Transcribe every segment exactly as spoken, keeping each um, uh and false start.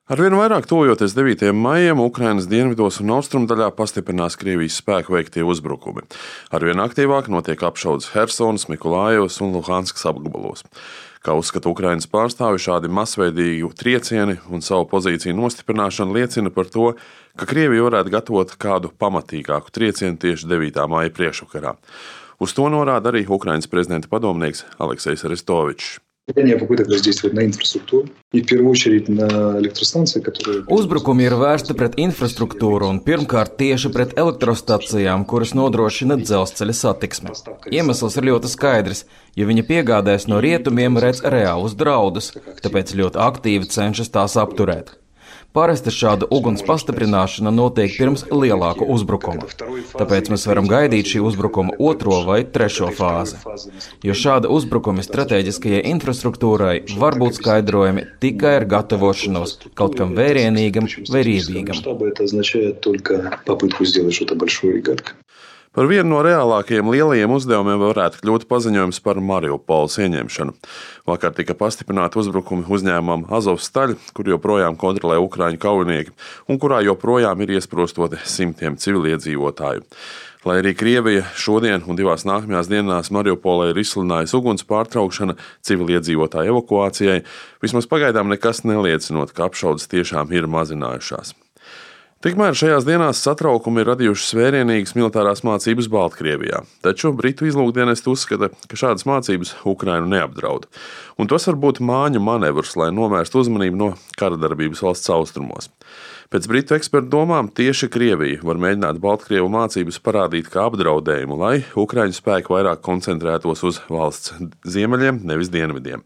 Arvien vairāk tuvojoties devītajam maijam, Ukrainas dienvidos un austrumdaļā pastiprinās Krievijas spēku veiktie uzbrukumi. Arvien aktīvāk notiek apšaudes Hersonas, Mikolājevas un Luhanskas apgabalos. Kā uzskata Ukrainas pārstāvi, šādi masveidīgi triecieni un savu pozīciju nostiprināšana liecina par to, ka Krievija varētu gatavot kādu pamatīgāku triecienu tieši devītā maija priekšvakarā. Uz to norāda arī Ukrainas prezidenta padomnieks Aleksejs Arestovičs. Uzbrukumi ir vērsti pret infrastruktūru un pirmkārt tieši pret elektrostacijām, kuras nodrošina dzelzceļa satiksmi. Iemesls ir ļoti skaidrs, jo viņa piegādēs no rietumiem redz reālus draudus, tāpēc ļoti aktīvi cenšas tās apturēt. Parasti šāda uguns pastiprināšana notiek pirms lielāka uzbrukuma, tāpēc mēs varam gaidīt šī uzbrukuma otro vai trešo fāzi. Jo šāda uzbrukuma strateģiskajai infrastruktūrai var būt skaidrojami tikai ar gatavošanos kaut kam vērienīgam vai riebīgam. Par vienu no reālākajiem lielajiem uzdevumiem varētu kļūt paziņojums par Mariupoles ieņemšanu. Vakar tika pastiprināti uzbrukumi uzņēmumam Azovstaļ, kur joprojām kontrolē ukraiņu kaujinieki un kurā joprojām ir iesprostoti simtiem civiliedzīvotāju. Lai arī Krievija šodien un divās nākamajās dienās Mariupolē ir izsludinājusi uguns pārtraukšana civiliedzīvotāju evakuācijai, vismaz pagaidām nekas neliecinot, ka apšaudes tiešām ir mazinājušās. Tikmēr šajās dienās satraukumi ir radījušas vērienīgas militārās mācības Baltkrievijā, taču Britu izlūkdienesti uzskata, ka šādas mācības Ukrainu neapdraud. Un tas var būt māņu manevrs, lai novērstu uzmanību no karadarbības valsts austrumos. Pēc Britu ekspertu domām tieši Krievija var mēģināt Baltkrievu mācības parādīt kā apdraudējumu, lai Ukraiņu spēki vairāk koncentrētos uz valsts ziemeļiem, nevis dienvidiem.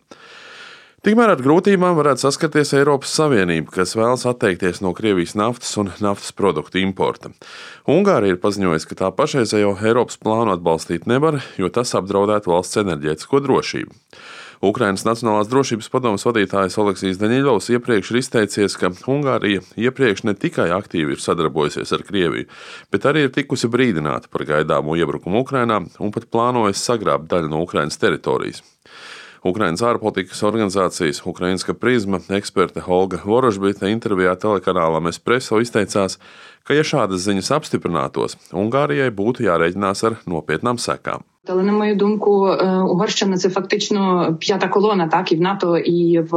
Tikmēr ar grūtībām varētu saskarties Eiropas Savienība, kas vēlas atteikties no Krievijas naftas un naftas produktu importa. Ungārija ir paziņojusi, ka tā pašreizējo Eiropas plānu atbalstīt nevar, jo tas apdraudētu valsts enerģētisko drošību. Ukrainas Nacionālās drošības padomes vadītājs Oleksijs Daņiļovs iepriekš ir izteicies, ka Ungārija iepriekš ne tikai aktīvi ir sadarbojusies ar Krieviju, bet arī ir tikusi brīdināta par gaidāmo iebrukumu Ukrainā un pat plānojas sagrābt daļu no Ukrainas teritorijas. Ukrainas ārpolitikas organizācijas Ukrainska prizma eksperte Olga Vorožbita intervijā telekanālam Espresso izteicās, ka ja šādas ziņas apstiprinātos, Ungārijai būtu jārēķinās ar nopietnām sekām. Але, на мою думку, Угорщина – це фактично п'ята колона, так, і в НАТО, і в,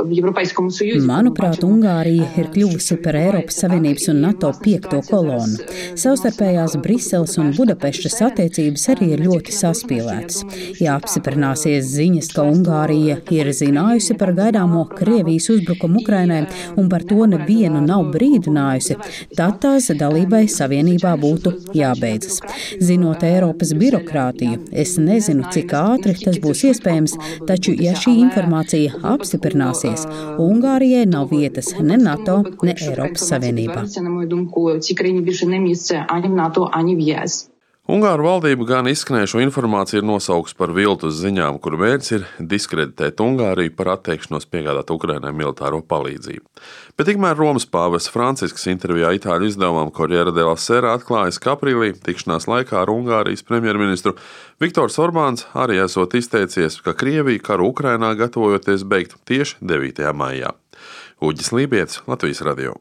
в Європейському Союзі. Manuprāt, Ungārija ir kļuvusi par Eiropas Savienības un NATO piekto kolonu. Savstarpējās Briseles un Budapeštas attiecības arī ir ļoti saspīlētas. Ja apstiprināsies ziņas, ka Ungārija ir zinājusi par gaidāmo Krievijas uzbrukumu Ukrainai un par to nevienu nav brīdinājusi, tad tās dalībai Savienībā būtu jābeidzas. Zinot Eiropas birokrātiju, es nezinu, cik ātri tas būs iespējams, taču, ja šī informācija apstiprināsies, Ungārijai nav vietas ne NATO, ne Eiropas Savienībā. Ungāru valdība gan izskanējušo informāciju ir nosaukusi par viltus ziņām, kuru mērķis ir diskreditēt Ungāriju par atteikšanos piegādāt Ukrainai militāro palīdzību. Bet tikmēr Romas pāvests Francisks intervijā itāļu izdevumam Corriere della Sera atklājas, ka aprīlī tikšanās laikā ar Ungārijas premjerministru Viktors Orbāns arī esot izteicies, ka Krievija karu Ukrainā gatavojoties beigt tieši devītajā maijā. Uģis Lībietis, Latvijas radio.